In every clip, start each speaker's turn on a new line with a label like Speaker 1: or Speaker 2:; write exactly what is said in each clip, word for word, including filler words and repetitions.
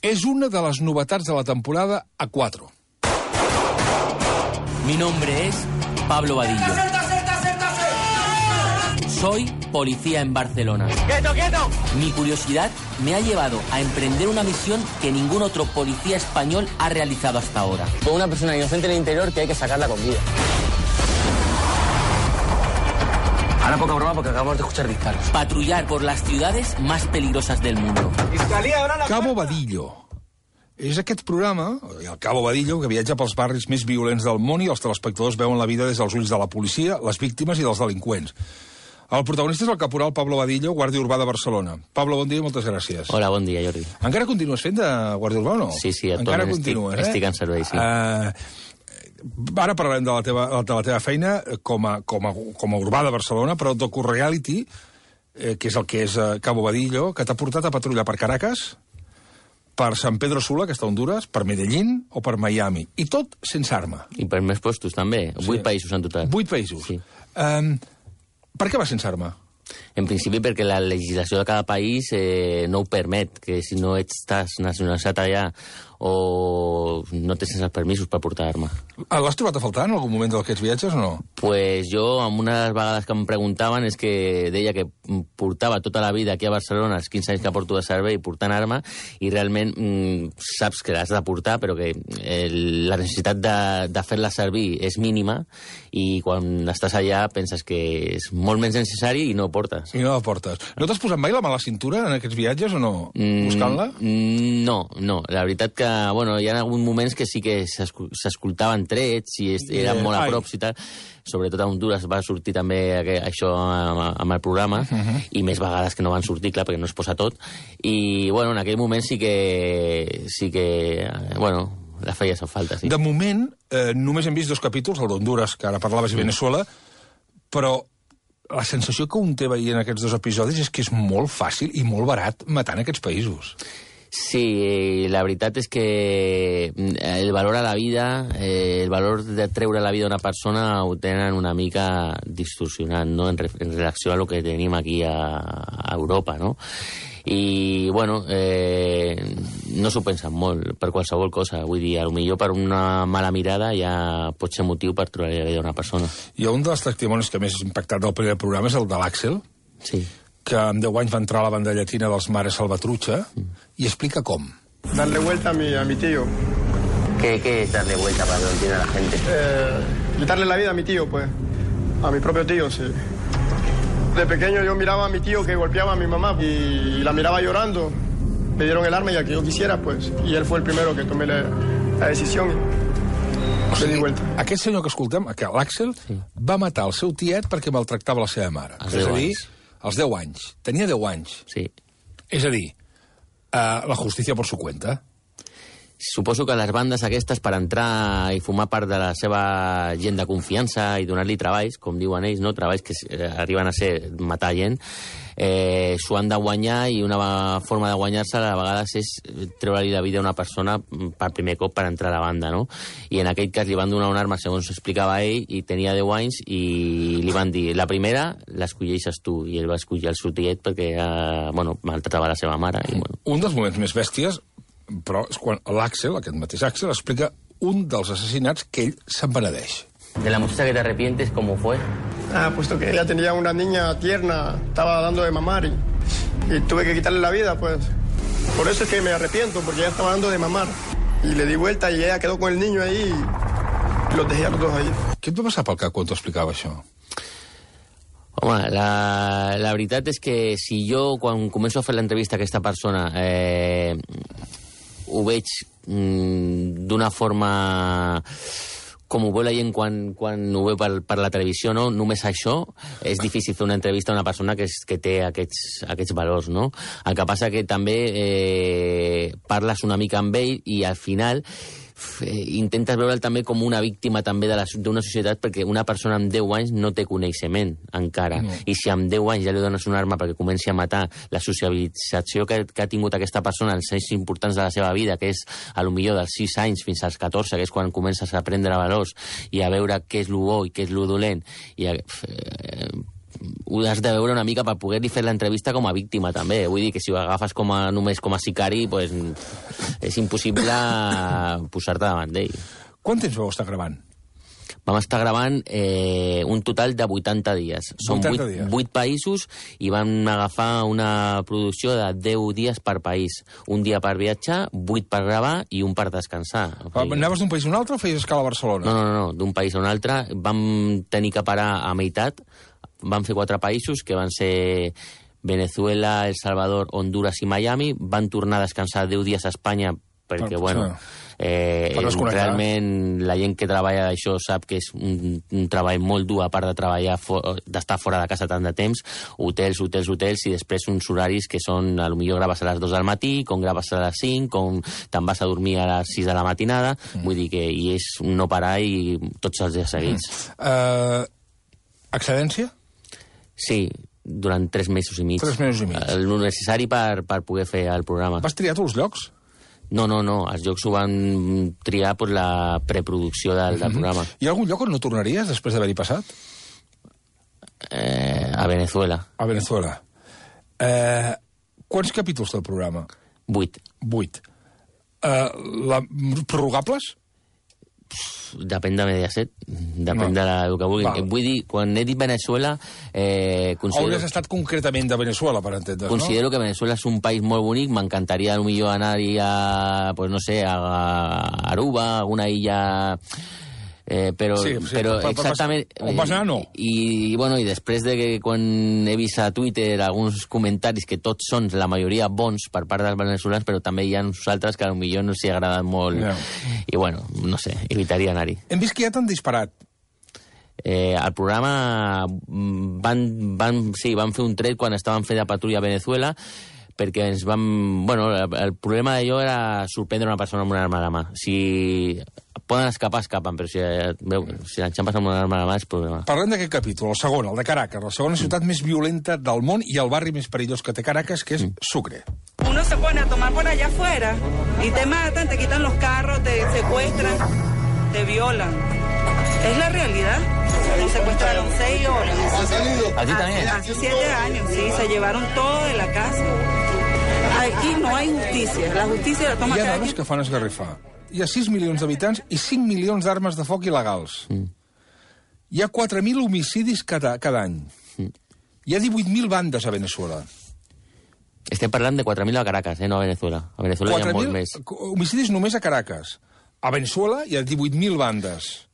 Speaker 1: És una de les novetats de la temporada A cuatro.
Speaker 2: Mi nombre es Pablo Vadillo. Soy policía en Barcelona.
Speaker 3: ¡Quieto, quieto!
Speaker 2: Mi curiosidad me ha llevado a emprender una misión que ningún otro policía español ha realizado hasta ahora.
Speaker 3: Con una persona inocente en el interior que hay que sacarla con vida. Ahora poca broma porque acabamos de escuchar disparos.
Speaker 2: Patrullar por las ciudades más peligrosas del mundo.
Speaker 1: Cabo Vadillo. És aquest programa, el Cabo Vadillo, que viatja pels barris més violents del món i els telespectadors veuen la vida des dels ulls de la policia, les víctimes i dels delinqüents. El protagonista és el caporal Pablo Vadillo, guàrdia urbà de Barcelona. Pablo, bon dia i moltes gràcies.
Speaker 2: Hola, bon dia, Jordi.
Speaker 1: Encara continues fent de guàrdia urbà o no?
Speaker 2: Sí, sí,
Speaker 1: encara
Speaker 2: estic,
Speaker 1: continues, eh?
Speaker 2: estic en servei, sí.
Speaker 1: Uh, ara parlarem de la teva, de la teva feina com a, com a, com a urbà de Barcelona, però docu-reality, eh, que és el que és uh, Cabo Vadillo, que t'ha portat a patrullar per Caracas, per San Pedro Sula, que està a Honduras, per Medellín o per Miami. I tot sense arma.
Speaker 2: I per més puestos, també.
Speaker 1: Sí.
Speaker 2: Vuit països en total.
Speaker 1: Vuit països.
Speaker 2: Sí.
Speaker 1: Um, per què vas sense arma?
Speaker 2: En principi perquè la legislació de cada país eh, no ho permet, que si no estàs nacionalitzat allà o no tens els permisos per portar arma.
Speaker 1: L'has trobat a faltar en algun moment d'aquests viatges o no?
Speaker 2: Pues jo, amb una de les vegades que em preguntaven, és que deia que portava tota la vida aquí a Barcelona, els quinze anys que porto de servei, portant arma, i realment mm, saps que l'has de portar, però que eh, la necessitat de, de fer-la servir és mínima, i quan estàs allà penses que és molt menys necessari i no ho portes.
Speaker 1: I no la portes. No t'has posat mai la mà a la cintura en aquests viatges o no? Buscant-la?
Speaker 2: Mm, no, no. La veritat que, bueno, hi ha alguns moments que sí que s'escoltaven trets i eren
Speaker 1: Eh,
Speaker 2: molt a
Speaker 1: ai.
Speaker 2: prop i tal. Sobretot a Honduras va sortir també aqu- això amb, amb el programa,
Speaker 1: Uh-huh.
Speaker 2: i més vegades que no van sortir, clar, perquè no es posa tot. I, bueno, en aquell moment sí que... sí que, eh, bueno, la feia en falta, sí.
Speaker 1: De moment, eh, només hem vist dos capítols, el d'Honduras, que ara parlaves, i Venezuela, però la sensació que un té veient aquests dos episodis és que és molt fàcil i molt barat matar en aquests països.
Speaker 2: Sí, la veritat és que el valor a la vida, eh, el valor de treure la vida a una persona ho tenen una mica distorsionat, no?, en, re en relació a lo que tenim aquí a, a Europa, no? I, bueno, eh, no s'ho pensen molt per qualsevol cosa. Vull dir, potser per una mala mirada ja pot ser motiu per treure la vida a una persona.
Speaker 1: I un dels testimonis que més ha impactat del primer programa és el de l'Àxel,
Speaker 2: Sí.
Speaker 1: que amb deu anys va entrar a la banda llatina dels Mares Salvatrucha, i explica com.
Speaker 4: Darle vuelta a mi, a mi tío.
Speaker 2: ¿Qué, ¿Qué es darle vuelta para que lo entienda la gente?
Speaker 4: Eh, quitarle la vida a mi tío, pues. A mi propio tío, sí. De pequeño yo miraba a mi tío que golpeaba a mi mamá y la miraba llorando. Me dieron el arma y a que yo quisiera, pues. Y él fue el primero que tomé la, la decisión.
Speaker 1: O
Speaker 4: Me di
Speaker 1: sigui,
Speaker 4: vuelta.
Speaker 1: aquest senyor que escoltem, que l'Àxel,
Speaker 2: Sí.
Speaker 1: va matar el seu tiet perquè maltractava la seva mare.
Speaker 2: Als
Speaker 1: és
Speaker 2: deu
Speaker 1: a dir,
Speaker 2: anys.
Speaker 1: als deu anys. Tenia deu anys.
Speaker 2: Sí.
Speaker 1: És a dir, uh, la justícia per su cuenta.
Speaker 2: Suposo que les bandes aquestes, per entrar i formar part de la seva gent de confiança i donar-li treballs, com diuen ells, no? Treballs que eh, arriben a ser matar gent, eh, s'ho han de guanyar, i una forma de guanyar-se a vegades és treure-li la vida a una persona per primer cop per entrar a la banda, no? I en aquell cas li van donar una arma, segons explicava ell, i tenia deu anys, i li van dir, la primera l'escolleixes tu, i ell va escollir el seu tiet perquè, eh, bueno, maltratava la seva mare. I, bueno.
Speaker 1: Un dels moments més bèsties, però és quan l'Àxel, aquest mateix Àxel, explica un dels assassinats que ell se'n penedeix.
Speaker 2: De la muchacha que te arrepientes, ¿cómo fue?
Speaker 4: Ah, puesto que ella tenía una niña tierna, estaba dando de mamar y, y tuve que quitarle la vida, pues. Por eso es que me arrepiento, porque ella estaba dando de mamar. Y le di vuelta y ella quedó con el niño ahí y los dejé a los dos ahí.
Speaker 1: Què et va passar pel cap quan t'ho explicava això?
Speaker 2: Home, la, la veritat és que si jo, quan començo a fer l'entrevista a aquesta persona, eh, ho veig mm, d'una forma com ho veu la gent quan, quan ho veu per, per la televisió, no? Només això, és difícil fer una entrevista a una persona que, és, que té aquests, aquests valors, no? El que passa que també eh, parles una mica amb ell i al final eh, intentes veure'l també com una víctima també de la- d'una societat, perquè una persona amb deu anys no té coneixement encara,
Speaker 1: No.
Speaker 2: i si amb deu anys ja li dones una arma perquè comenci a matar, la socialització que, que ha tingut aquesta persona els anys importants de la seva vida, que és a lo millor dels sis anys fins als catorze, que és quan comences a aprendre valors i a veure què és lo bo i què és lo dolent, i a, eh, ho has de veure una mica per poder-li fer l'entrevista com a víctima, també. Vull dir que si ho agafes com a, només com a sicari, pues, és impossible posar-te davant d'ell.
Speaker 1: Quant temps vau estar gravant?
Speaker 2: Vam estar gravant eh, un total de vuitanta dies. Són vuit països i vam agafar una producció de deu dies per país. Un dia per viatjar, vuit per gravar i un per descansar.
Speaker 1: Okay. Anaves d'un país a un altre o feies escala a Barcelona?
Speaker 2: No, no, no, d'un país a un altre. Vam tenir que parar a meitat. Vam fer quatre països, que van ser Venezuela, El Salvador, Honduras i Miami. Van tornar a descansar deu dies a Espanya perquè, per, bueno... Eh, realment la gent que treballa d'això sap que és un, un treball molt dur, a part de treballar d'estar fora de casa tant de temps, hotels, hotels, hotels, i després uns horaris que són, a lo millor graves a les dos del matí, com graves a les cinc, com te'n vas a dormir a les sis de la matinada, mm. vull dir que i és no parar i tots els dies seguits.
Speaker 1: Mm. Uh, excedència?
Speaker 2: Sí, durant tres mesos i mig.
Speaker 1: Tres mesos i mig.
Speaker 2: El necessari per, per poder fer el programa.
Speaker 1: Vas triar tots els llocs?
Speaker 2: No, no, no. Els llocs ho van triar per la preproducció del, del programa.
Speaker 1: Hi ha algun lloc on no tornaries després d'haver-hi passat?
Speaker 2: Eh, a Venezuela.
Speaker 1: A Venezuela. Eh, quants capítols té el programa?
Speaker 2: Vuit.
Speaker 1: Vuit. Eh, la, prorrogables?
Speaker 2: Depèn de Mediaset, depèn no. de la, el que vulguin. Val. Vull dir, quan he dit Venezuela... Eh, considero...
Speaker 1: Hauries estat concretament de Venezuela, per entendre's,
Speaker 2: considero
Speaker 1: no?
Speaker 2: que Venezuela és un país molt bonic, m'encantaria potser anar-hi a, pues no sé, a Aruba, a alguna illa... Eh, però,
Speaker 1: sí, sí,
Speaker 2: però
Speaker 1: per, per,
Speaker 2: exactament...
Speaker 1: On vas anar, no?
Speaker 2: I, i, bueno, i després de que quan he vist a Twitter alguns comentaris que tots són, la majoria, bons per part dels veneçolans, però també hi ha uns altres que potser no s'hi agraden molt. No. I, bueno, no sé, evitaria anar-hi.
Speaker 1: Hem vist que ja t'han disparat.
Speaker 2: Eh, el programa van, van, sí, van fer un tret quan estaven fent de patrulla a Venezuela, perquè ens vam... Bueno, el, el problema d'allò era sorprendre una persona amb una arma a la mà. Si poden escapar, escapen, però si, veu, si l'enxampes amb una arma a la mà és problema.
Speaker 1: Parlem d'aquest capítol, el segon, el de Caracas, la segona ciutat més violenta del món i el barri més perillós que té Caracas, que és Sucre.
Speaker 5: Uno se pone a tomar por allá afuera y te matan, te quitan los carros, te secuestran, te violan. Es la realidad. Nos secuestraron seis horas.
Speaker 3: ¿A ti también?
Speaker 5: Hace siete años, sí, se llevaron todo de la casa. Aquí no hay justicia, la justicia la toma
Speaker 1: cada
Speaker 5: dia.
Speaker 1: Hi ha dades que fan esgarrifar. Hi ha sis milions d'habitants i cinc milions d'armes de foc il·legals. Mm. Hi ha quatre mil homicidis cada, cada any. Mm. Hi ha divuit mil bandes a Venezuela.
Speaker 2: Estem parlant de quatre mil a Caracas, eh, no a Venezuela. A Venezuela hi ha molt més.
Speaker 1: Homicidis només a Caracas. A Venezuela hi ha divuit mil bandes.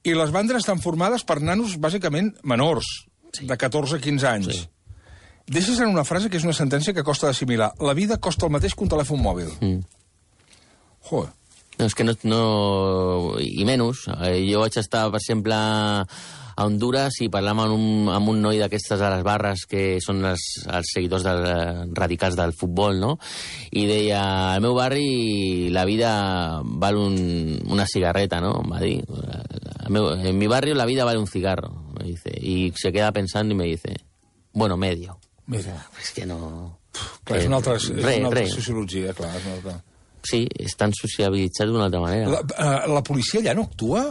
Speaker 1: I les bandes estan formades per nanos, bàsicament, menors, sí. de catorze a quinze anys. Sí. Deixes en una frase que és una sentència que costa d'assimilar. La vida costa el mateix que un telèfon mòbil. Mm. Joder.
Speaker 2: No, és que no... no... I menys. Jo vaig estar, per exemple, a Honduras i parlàvem amb un, amb un noi d'aquestes a les barres que són els, els seguidors del, radicals del futbol, no? I deia, al meu barri la vida val un, una cigarreta, ¿no? Em va dir. Meu, en mi barrio la vida vale un cigarro, me dice. Y se queda pensando y me dice, bueno, medio.
Speaker 1: Medio.
Speaker 2: És que no...
Speaker 1: Clar, és una altra, és
Speaker 2: re,
Speaker 1: una altra
Speaker 2: re.
Speaker 1: sociologia, clar. És una altra...
Speaker 2: Sí, estan sociabilitzats d'una altra manera.
Speaker 1: La, uh, la policia allà no actua?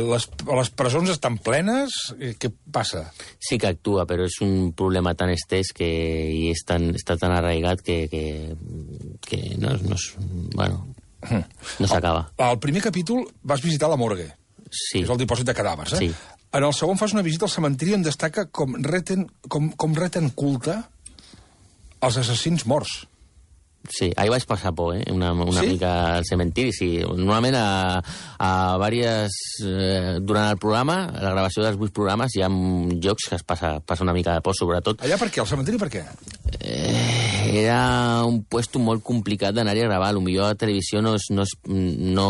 Speaker 1: Les, les presons estan plenes? Què passa?
Speaker 2: Sí que actua, però és un problema tan estès que, i és tan, està tan arraigat que, que, que no, no, bueno, no s'acaba.
Speaker 1: Al primer capítol vas visitar la morgue.
Speaker 2: Sí.
Speaker 1: És el dipòsit de cadàvers, eh?
Speaker 2: Sí.
Speaker 1: En el segon fas una visita al cementiri on destaca com reten, com, com reten culte els assassins morts.
Speaker 2: Sí, ahí vais passar por, eh? Una, una
Speaker 1: ¿Sí?
Speaker 2: mica al cementiri, sí. Normalment a, a diverses... Eh, durant el programa, la gravació dels vuit programes, hi ha llocs que es passa, passa una mica de por, sobretot.
Speaker 1: Allà per què? Al cementiri per què?
Speaker 2: Eh, era un puesto molt complicat d'anar-hi a gravar. Potser a la televisió no, es, no, es, no,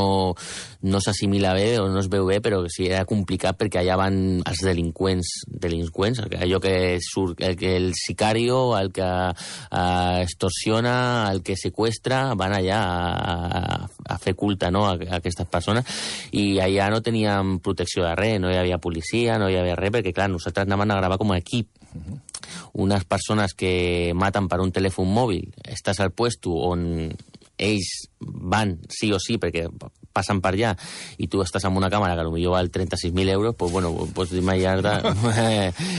Speaker 2: no s'assimila bé o no es veu bé, però sí, era complicat perquè allà van els delinqüents, delinqüents, allò que surt, el, que el sicario, el que eh, extorsiona, el que secuestra, van allà a, a fer culte, no?, a, a aquestes persones, i allà no teníem protecció de res, no hi havia policia, no hi havia res, perquè clar, nosaltres anàvem a gravar com a equip. Uh-huh. Unes persones que maten per un telèfon mòbil, estàs al puesto on ells van sí o sí, perquè passen per allà i tu estàs amb una càmera que potser val trenta-sis mil euros, pues bueno, pots imaginar-te...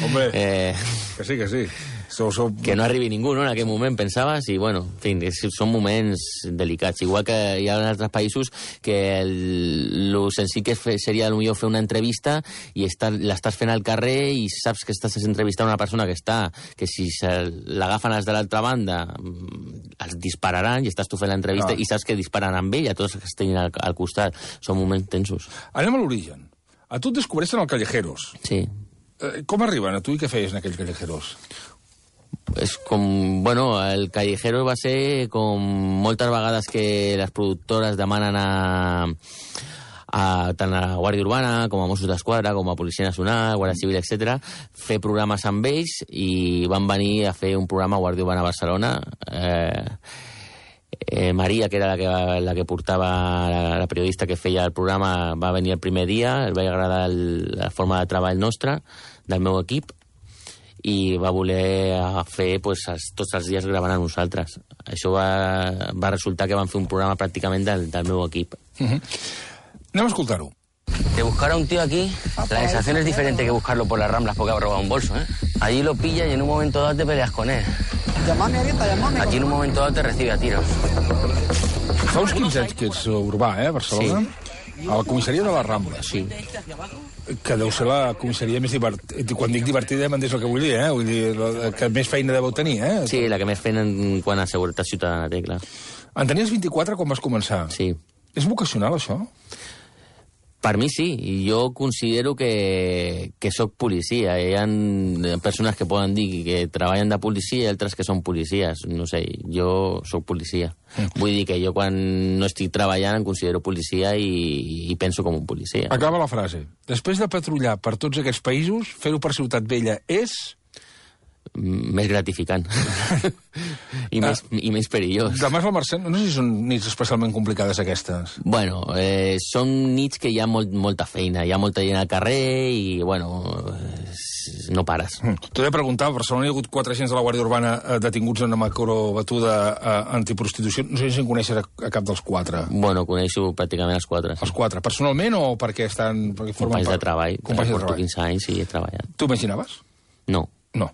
Speaker 1: Hombre, eh, que sí, que sí. Sou, sou...
Speaker 2: Que no arribi ningú, no?, en aquell moment, pensaves, i bueno, en fi, és, són moments delicats. Igual que hi ha en altres països que el, lo senzill que fe, seria potser fer una entrevista i l'estàs fent al carrer i saps que estàs entrevistant una persona que està, que si l'agafen els de l'altra banda els dispararan i estàs tu fent l'entrevista
Speaker 1: no.
Speaker 2: i saps que disparen amb ell a tots els que estiguin al, al costat. Són moments tensos.
Speaker 1: Anem a l'origen. A tu et descobreixen al Callejeros.
Speaker 2: Sí.
Speaker 1: Eh, com arriben a tu i què feies en aquells Callejeros?
Speaker 2: És com, bueno, el Callejero va ser com moltes vegades que les productores demanen a, a tant a la Guàrdia Urbana com a Mossos d'Esquadra, com a Policia Nacional, Guàrdia Civil, etcètera, fer programes amb ells i van venir a fer un programa a Guàrdia Urbana a Barcelona. Eh, eh, Maria, que era la que, la que portava, la, la periodista que feia el programa, va venir el primer dia, el va agradar el, la forma de treball nostra, del meu equip, i va voler fer pues, els, tots els dies gravant a nosaltres. Això va, va resultar que van fer un programa pràcticament del, del meu equip.
Speaker 1: Uh -huh. Anem a escoltar-ho.
Speaker 3: De buscar a un tío aquí, la sensación es diferente que buscarlo por las Ramblas porque ha robado un bolso, ¿eh? Allí lo pillas y en un momento dado te peleas con él.
Speaker 6: Llamame ahorita, llamame.
Speaker 3: Aquí en un momento dado te recibe a tiros.
Speaker 1: Fa uns quinze anys que ets urbà, eh, a Barcelona? Sí. A la comissaria de la Rambla.
Speaker 2: Sí.
Speaker 1: Que deu ser la comissaria més divertida. Quan dic divertida m'entens el que vull dir, eh? Vull dir, que més feina deveu tenir, eh?
Speaker 2: Sí, la que més feina en quant a seguretat ciutadana té, clar.
Speaker 1: En tenies vint-i-quatre quan vas començar?
Speaker 2: Sí.
Speaker 1: És vocacional, això?
Speaker 2: Per mi sí, i jo considero que, que sóc policia. Hi ha persones que poden dir que treballen de policia i altres que són policies. No sé, jo sóc policia. Mm. Vull dir que jo quan no estic treballant em considero policia i, i penso com un policia.
Speaker 1: Acaba la frase. Després de patrullar per tots aquests països, fer-ho per Ciutat Vella és...
Speaker 2: més gratificant I, ah. més, i més perillós.
Speaker 1: Demà és la Mercè, no sé si són nits especialment complicades aquestes.
Speaker 2: Bueno, eh, són nits que hi ha molt, molta feina, hi ha molta gent al carrer i, bueno, no pares.
Speaker 1: Mm. T'ho he de preguntar, a Barcelona hi ha hagut quatre agents de la Guàrdia Urbana eh, detinguts en una macrobatuda eh, antiprostitució. No sé si en coneixes a, a cap dels quatre.
Speaker 2: Bueno, coneixo pràcticament els quatre.
Speaker 1: Els quatre. Personalment o perquè estan... Perquè
Speaker 2: companys part... de treball.
Speaker 1: Companys de treball.
Speaker 2: quinze anys i he treballat.
Speaker 1: Tu imaginaves?
Speaker 2: No.
Speaker 1: No.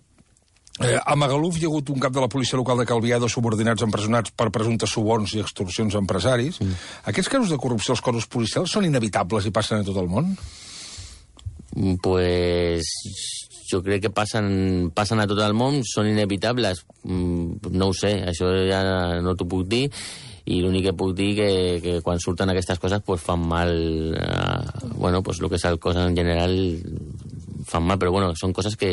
Speaker 1: Eh, a Magaluf hi ha hagut un cap de la policia local de Calvià, dos subordinats empresonats per presumptes suborns i extorsions a empresaris. Mm. Aquests casos de corrupció als cossos policials són inevitables i passen a tot el món?
Speaker 2: Pues jo crec que passen, passen a tot el món, són inevitables. No ho sé, això ja no t'ho puc dir. I l'únic que puc dir que, que quan surten aquestes coses pues fan mal, eh, bueno, pues el que és el cos en general fan mal, però bueno, són coses que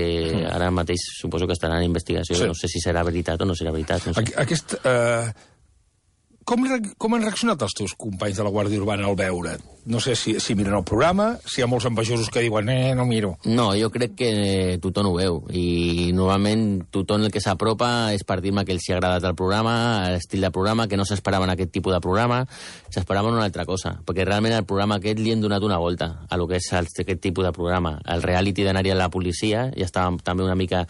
Speaker 2: ara mateix suposo que estaran en investigació. Sí. No sé si serà veritat o no serà veritat. No sé.
Speaker 1: Aquest, eh, com, com han reaccionat els teus companys de la Guàrdia Urbana al veure't? No sé si, si miren el programa, si hi ha molts envejosos que diuen eh, no miro.
Speaker 2: No, jo crec que tothom ho veu. I normalment tothom el que s'apropa és per dir-me que els ha agradat el programa, l'estil de programa, que no s'esperaven aquest tipus de programa, s'esperaven una altra cosa. Perquè realment el programa aquest li han donat una volta a lo que és aquest tipus de programa. El reality d'anar-hi a la policia ja estava també una mica,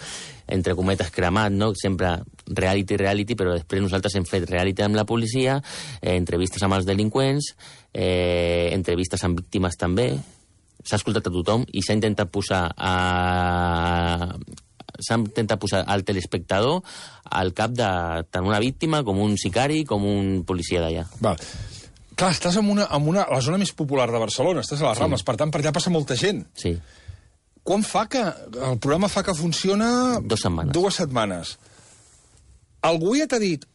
Speaker 2: entre cometes, cremat, no? Sempre reality, reality, però després nosaltres hem fet reality amb la policia, eh, entrevistes amb els delinqüents, eh, entrevistes amb víctimes també, s'ha escoltat a tothom i s'ha intentat posar a... s'ha intentat posar al telespectador al cap de tant una víctima com un sicari com un policia d'allà.
Speaker 1: Val. Clar, estàs en una, en una, a la zona més popular de Barcelona, estàs a les Rambles, sí. Per tant, per allà passa molta gent.
Speaker 2: Sí.
Speaker 1: Quan fa que... El programa fa que funciona...
Speaker 2: Dos setmanes.
Speaker 1: Dues setmanes. Algú ja t'ha dit...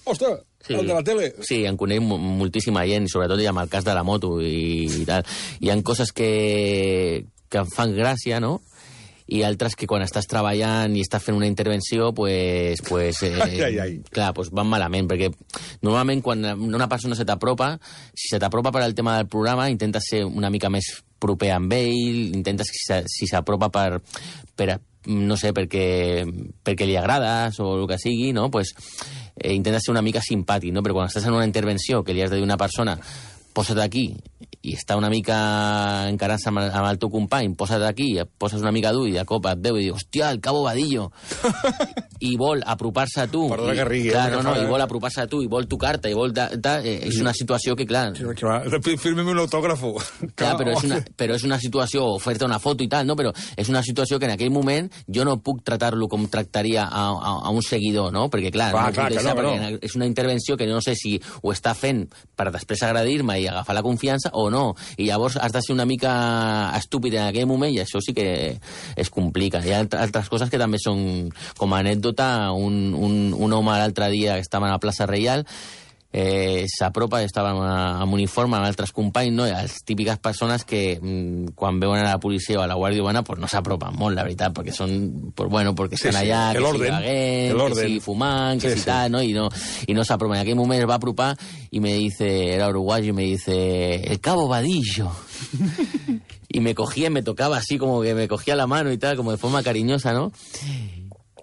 Speaker 1: Ostres, sí. El de la tele...
Speaker 2: Sí, en conec moltíssima gent, sobretot amb el cas de la moto i, i tal. Hi ha coses que, que em fan gràcia, no?, i altres que quan estàs treballant i estàs fent una intervenció, pues, pues, eh,
Speaker 1: ai, ai, ai.
Speaker 2: clar, pues van malament, perquè normalment quan una persona se t'apropa, si se t'apropa per al tema del programa, intentes ser una mica més proper amb ell, intentes, si s'apropa per, per, no sé, perquè, perquè li agrades o el que sigui, no? Pues, eh, intentes ser una mica simpàtic, no? Però quan estàs en una intervenció que li has de dir a una persona posa't aquí, i està una mica encarant-se amb, amb el teu company, posa't aquí, poses una mica dur i de cop et veu i diu, hòstia, el Cabo Vadillo. I vol apropar-se a tu.
Speaker 1: Perdona que rigui.
Speaker 2: Clar, no, no, i vol apropar-se a tu, i vol tocar-te, i vol... Da, da, eh, és una situació que, clar...
Speaker 1: Firmem un autògrafo.
Speaker 2: Clar, però és, una, però és una situació, oferta una foto i tal, no? Però és una situació que en aquell moment jo no puc tratar-lo com tractaria a, a, a un seguidor, no? Perquè, clar,
Speaker 1: clar,
Speaker 2: no
Speaker 1: clar
Speaker 2: deixar,
Speaker 1: que no,
Speaker 2: perquè no. És una intervenció que no sé si ho està fent per després agradir-me i agafar la confiança o no. I llavors has de ser una mica estúpid en aquell moment i això sí que es complica. Hi ha altres coses que també són com a anècdota. Un, un, un home l'altre dia que estava a la plaça Reial eh, s'apropa, estava amb uniforme amb altres companys, no? I les típiques persones que mm, quan veuen a la policia o a la Guàrdia Urbana pues no s'apropen molt, la veritat, perquè són, pues bueno, perquè estan sí, sí. allà, que si beguent, que si fumant, que sí, si tal, sí. ¿no? Y no, y no s'apropen. En aquell moment es va apropar y me dice, era uruguayo, y me dice, el Cabo Vadillo. Y me cogía, me tocaba así, como que me cogía la mano y tal, como de forma cariñosa, ¿no?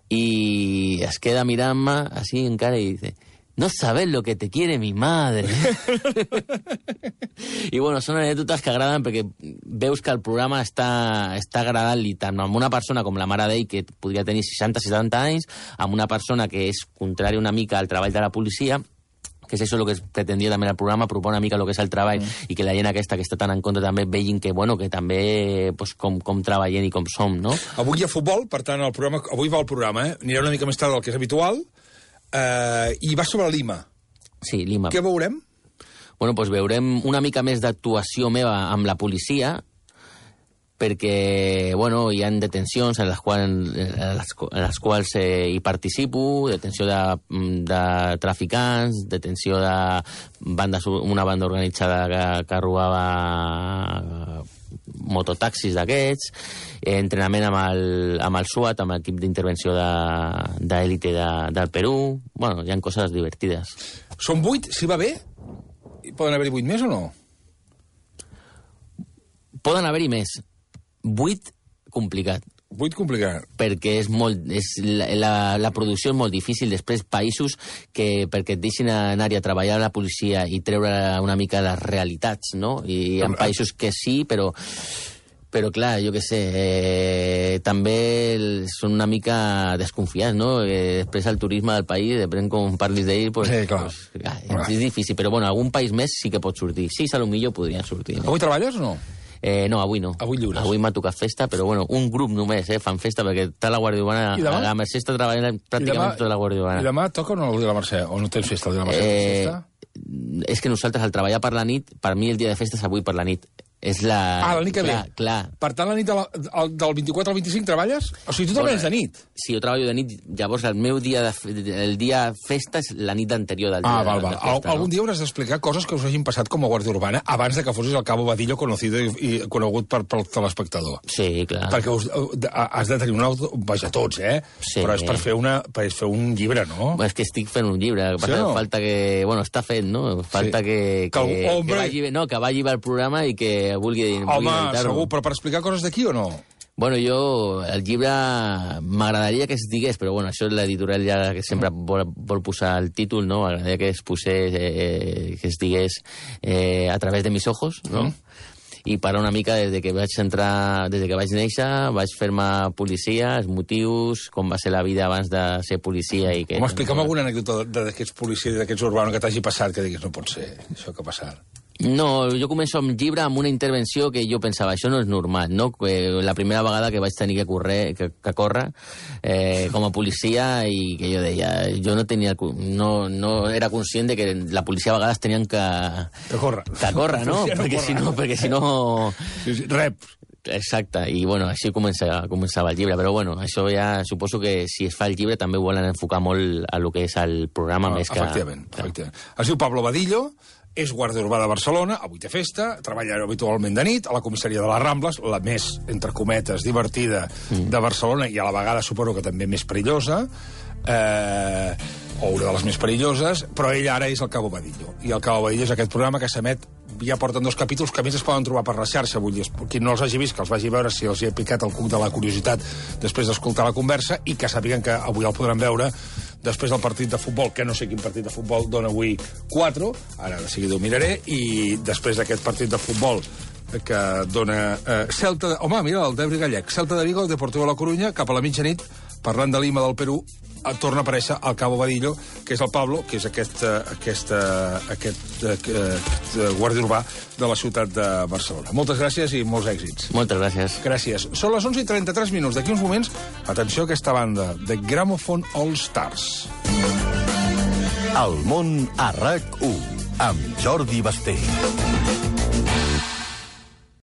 Speaker 2: Y es queda mirant-me así en cara y dice, no sabes lo que te quiere mi madre. I bueno, són anècdotes que agraden perquè veus que el programa està, està agradant-li tant amb una persona com la mare d'ell, que podria tenir seixanta setanta anys, amb una persona que és contrari una mica al treball de la policia, que és això el que es pretendia també en el programa, proposar una mica el que és el treball, mm. i que la gent aquesta que està tan en contra també vegin que, bueno, que també pues, com, com treballem i com som, no?
Speaker 1: Avui hi ha futbol, per tant, el programa, avui va el programa, eh? Anirà una mica més tard del que és habitual, eh, i va sobre Lima.
Speaker 2: Sí, Lima.
Speaker 1: Què veurem?
Speaker 2: Bueno, doncs veurem una mica més d'actuació meva amb la policia, perquè, bueno, hi ha detencions en les quals, en les, en les quals eh, hi participo, detenció de, de traficants, detenció de bandes, una banda organitzada que, que robava mototaxis d'aquests, eh, entrenament amb el, amb el SWAT, amb l'equip d'intervenció d'élite de, de, del Perú. Bueno, hi ha coses divertides.
Speaker 1: Són vuit, si va bé? Poden haver-hi vuit més o no?
Speaker 2: Poden haver-hi més. Vuit, complicat.
Speaker 1: Vuit, complicat.
Speaker 2: Perquè és molt, és la, la, la producció és molt difícil. Després, països que perquè et deixin anar a treballar a la policia i treure una mica les realitats, no? I hi ha països que sí, però... Però, clar, jo què sé, eh, també són una mica desconfiats, no? Eh, després el turisme del país, depèn com parlis d'ell, pues,
Speaker 1: sí, clar.
Speaker 2: Pues, ah, és difícil. Però, bueno, algun país més sí que pot sortir. Sí, a lo millor podrien sortir.
Speaker 1: Avui treballes o no?
Speaker 2: Eh, no, avui no.
Speaker 1: Avui lliures.
Speaker 2: Avui m'ha tocat festa, però bueno, un grup només, eh, fan festa, perquè està la Guàrdia Urbana... A la Mercè està treballant pràcticament tota la Guàrdia Urbana.
Speaker 1: I demà toca o no el dia de la Mercè? O no tens festa el dia de la Mercè?
Speaker 2: Eh,
Speaker 1: festa?
Speaker 2: És que nosaltres, al treballar per la nit, per mi el dia de festa és avui per la nit. És la...
Speaker 1: Ah, la nit que
Speaker 2: clar,
Speaker 1: ve.
Speaker 2: Clar.
Speaker 1: Per tant, la nit de la, el, del vint-i-quatre al vint-i-cinc treballes? O sigui, tu treballes de nit?
Speaker 2: Sí, jo treballo de nit. Llavors, el meu dia de, el dia festa és la nit anterior del dia
Speaker 1: ah, val, val.
Speaker 2: de festa.
Speaker 1: Algun no? dia hauràs d'explicar coses que us hagin passat com a Guàrdia Urbana abans de que fossis el Cabo Vadillo conocido i, i conegut per, pel telespectador.
Speaker 2: Sí, clar.
Speaker 1: Perquè us, has de tenir un auto... Vaja, tots, eh?
Speaker 2: Sí.
Speaker 1: Però és per fer, una, per fer un llibre, no?
Speaker 2: És que estic fent un llibre. Sí, no? Falta que... Bueno, està fet, no? Falta sí. que, que, que, que, vagi, no, que vagi bé el programa i que vulgui...
Speaker 1: Home, segur, però per explicar coses d'aquí o no?
Speaker 2: Bueno, jo, el llibre m'agradaria que es digués, però bueno, això és l'editorial ja que sempre vol, vol posar el títol, no? M'agradaria que es posés, eh, que es digués eh, a través de mis ojos, no? Mm. I parar una mica des de que vaig entrar, des de que vaig néixer, vaig fer-me policia, els motius, com va ser la vida abans de ser policia i que...
Speaker 1: Home, explica'm alguna anècdota d'aquests policies, d'aquests urbanos que t'hagi passat, que diguis, no pot ser això que ha passat.
Speaker 2: No, jo començo amb el llibre amb una intervenció que jo pensava, això no és normal, no? La primera vegada que vaig tenir que, correr, que, que córrer eh, com a policia i que jo deia, jo no tenia, no, no era conscient de que la policia a vegades tenien que...
Speaker 1: Que córrer.
Speaker 2: Que córrer, no? no perquè, si no perquè si no...
Speaker 1: Sí, sí, rep.
Speaker 2: Exacte, i bueno, així començava, començava el llibre, però bueno, això ja suposo que si es fa el llibre també ho volen enfocar molt a lo que és el programa, no, més que...
Speaker 1: Efectivament, efectivament. Es diu Pablo Vadillo, és guàrdia urbà de Barcelona, avui té festa, treballa habitualment de nit, a la comissaria de les Rambles, la més, entre cometes, divertida mm. de Barcelona, i a la vegada suposo que també més perillosa, eh, o una de les més perilloses, però ell ara és el Cabo Vadillo. I el Cabo Vadillo és aquest programa que s'emet, ja porten dos capítols, que a més es poden trobar per la xarxa, vull dir, qui no els hagi vist, que els vagi veure si els hi ha picat el cuc de la curiositat després d'escoltar la conversa, i que sàpiguen que avui el podran veure després del partit de futbol, que no sé quin partit de futbol dona avui quatre, ara de seguida ho miraré, i després d'aquest partit de futbol que dona eh, Celta... De... Home, mira, el Debri Gallec. Celta de Vigo, Deportivo La Coruña, cap a la mitjanit, parlant de Lima del Perú, torna a aparèixer al Cabo Badillo, que és el Pablo, que és aquest, aquest, aquest, aquest guàrdia urbà de la ciutat de Barcelona. Moltes gràcies i molts èxits.
Speaker 2: Moltes gràcies.
Speaker 1: Gràcies. Són les onze i trenta-tres minuts. D'aquí uns moments, atenció a aquesta banda, The Gramophone All Stars.
Speaker 6: El món a RAC u, amb Jordi Basté.